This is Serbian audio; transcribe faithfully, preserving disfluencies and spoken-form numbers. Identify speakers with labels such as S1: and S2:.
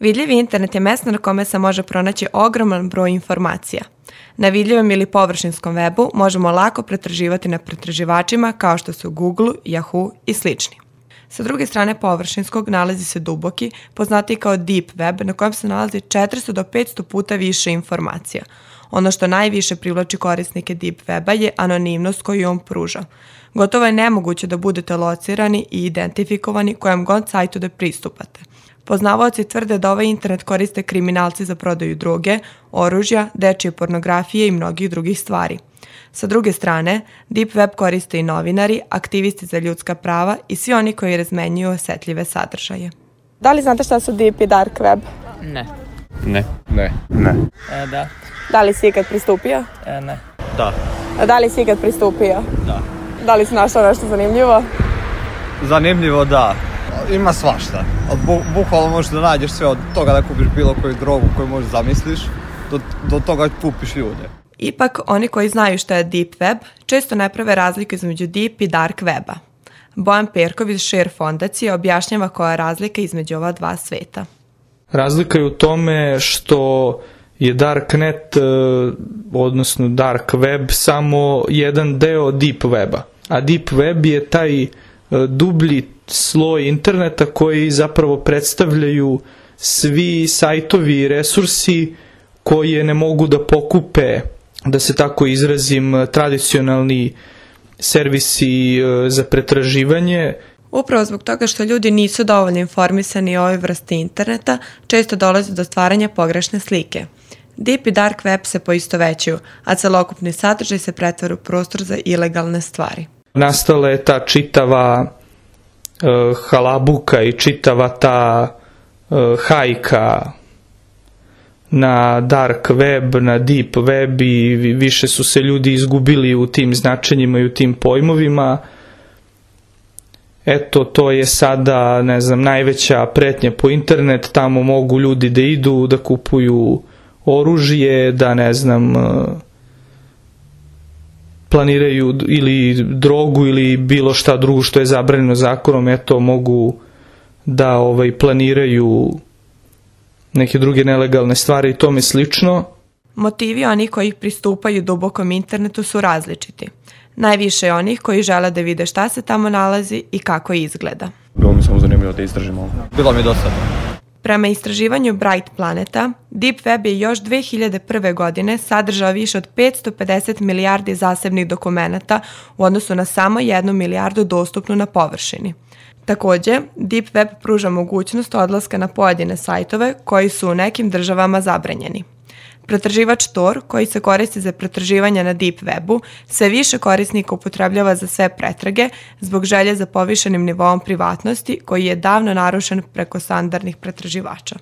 S1: Vidljivi internet je mesto na kome se može pronaći ogroman broj informacija. Na vidljivom ili površinskom webu možemo lako pretraživati na pretraživačima kao što su Google, Yahoo i slični. Sa druge strane površinskog nalazi se duboki, poznatiji kao deep web, na kojem se nalazi četiristo do petsto puta više informacija. Ono što najviše privlači korisnike deep weba je anonimnost koju on pruža. Gotovo je nemoguće da budete locirani i identifikovani kojem god sajtu da pristupate. Poznavaoci tvrde da ovaj internet koriste kriminalci za prodaju droge, oružja, dečje pornografije i mnogih drugih stvari. Sa druge strane, deep web koriste i novinari, aktivisti za ljudska prava i svi oni koji razmenjuju osetljive sadržaje. Da li znate šta su deep i dark web?
S2: Ne.
S3: Ne.
S4: Ne.
S3: Ne.
S2: E, da.
S1: Da li si ikad pristupio?
S2: E, ne.
S3: Da.
S1: A da li si ikad pristupio?
S3: Da.
S1: Da li si našao nešto zanimljivo?
S3: Zanimljivo, da.
S4: Ima svašta.
S3: Bu, bukvalno možeš da nađeš sve od toga da kupiš bilo koju drogu koju možeš zamisliš, do, do toga kupiš ljude.
S1: Ipak, oni koji znaju šta je deep web, često ne prave razliku između deep i dark weba. Bojan Perkov iz Share fondacije objašnjava koja je razlika između ova dva sveta.
S5: Razlika je u tome što je darknet, odnosno dark web, samo jedan deo deep weba. A deep web je taj dublji sloj interneta koji zapravo predstavljaju svi sajtovi i resursi koje ne mogu da pokupe, da se tako izrazim, tradicionalni servisi za pretraživanje.
S1: Upravo zbog toga što ljudi nisu dovoljno informisani o ovoj vrsti interneta, često dolazi do stvaranja pogrešne slike. Deep i dark web se poistovećuju, a celokupni sadržaj se pretvara u prostor za ilegalne stvari.
S5: Nastala je ta čitava uh, halabuka i čitava ta uh, hajka na dark web, na deep web i više su se ljudi izgubili u tim značenjima i u tim pojmovima. Eto, to je sada, ne znam, najveća pretnja po internet, tamo mogu ljudi da idu, da kupuju oružje, da, ne znam, planiraju ili drogu ili bilo šta drugo što je zabranjeno zakonom, eto, mogu da ovaj, planiraju neke druge nelegalne stvari i tome slično.
S1: Motivi onih koji pristupaju dubokom internetu su različiti. Najviše je onih koji žele da vide šta se tamo nalazi i kako izgleda.
S4: Bilo mi samo zanimljivo da istražimo.
S3: Bilo mi dosadno.
S1: Prema istraživanju Bright Planeta, Deep Web je još dve hiljade prve. godine sadržao više od petsto pedeset milijardi zasebnih dokumenata u odnosu na samo jednu milijardu dostupnu na površini. Takođe, Deep Web pruža mogućnost odlaska na pojedine sajtove koji su u nekim državama zabranjeni. Pretraživač Tor, koji se koristi za pretraživanje na Deep Webu, sve više korisnika upotrebljava za sve pretrage zbog želje za povišenim nivoom privatnosti koji je davno narušen preko standardnih pretraživača.